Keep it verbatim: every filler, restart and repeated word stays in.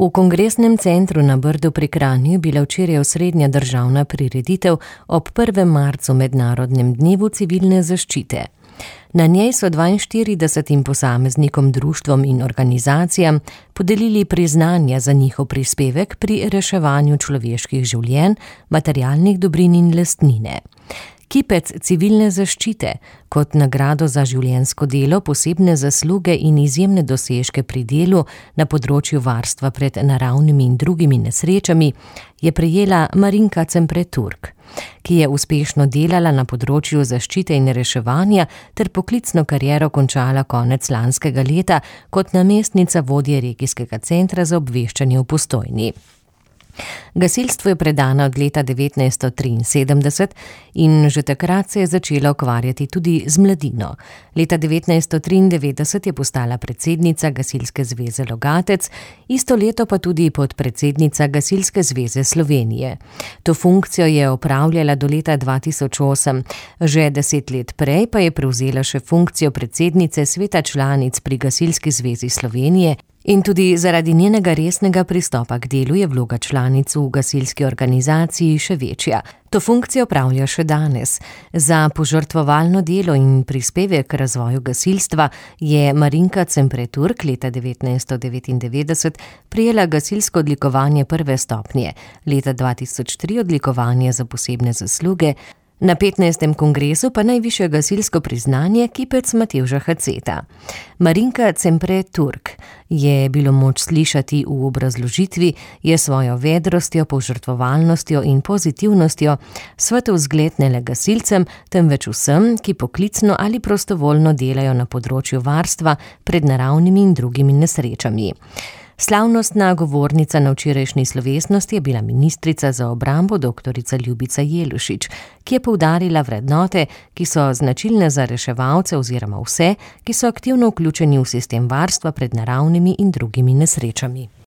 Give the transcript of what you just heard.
V Kongresnem centru na Brdu pri Kranju je bila včeraj osrednja državna prireditev ob prvem marcu mednarodnem dnevu civilne zaščite. Na njej so dvainštiridesetim posameznikom, društvom in organizacijam podelili priznanja za njihov prispevek pri reševanju človeških življenj, materialnih dobrin in lastnine. Kipec civilne zaščite kot nagrado za življenjsko delo, posebne zasluge in izjemne dosežke pri delu na področju varstva pred naravnimi in drugimi nesrečami je prejela Marinka Cempre-Turk, ki je uspešno delala na področju zaščite in reševanja ter poklicno kariero končala konec lanskega leta kot namestnica vodje regijskega centra za obveščanje v Postojni. Gasilstvu je predana od leta devetnajststo triinsedemdeset in že takrat se je začela ukvarjati tudi z mladino. Leta devetnajststo triindevetdeset je postala predsednica Gasilske zveze Logatec, isto leto pa tudi podpredsednica Gasilske zveze Slovenije. To funkcijo je opravljala do leta dva tisoč osem, že deset let prej pa je prevzela še funkcijo predsednice sveta članic pri Gasilski zvezi Slovenije. In tudi zaradi njenega resnega pristopa k delu je vloga članic v gasilski organizaciji še večja. To funkcijo opravlja še danes. Za požrtvovalno delo in prispevek k razvoju gasilstva je Marinka Cempre-Turk leta devetnajststo devetindevetdeset prejela gasilsko odlikovanje prve stopnje, leta dva tisoč tri odlikovanje za posebne zasluge, na petnajstem kongresu pa najvišje gasilsko priznanje Kipec Matevža Haceta. Marinka Cempre-Turk je bilo moč slišati v obrazložitvi, je svojo vedrostjo, požrtvovalnostjo in pozitivnostjo svetov zgled ne le gasilcem, temveč vsem, ki poklicno ali prostovoljno delajo na področju varstva pred naravnimi in drugimi nesrečami. Slavnostna govornica na včerajšnji slovesnosti je bila ministrica za obrambo doktorica Ljubica Jelušič, ki je poudarila vrednote, ki so značilne za reševalce oziroma vse, ki so aktivno vključeni v sistem varstva pred naravnimi in drugimi nesrečami.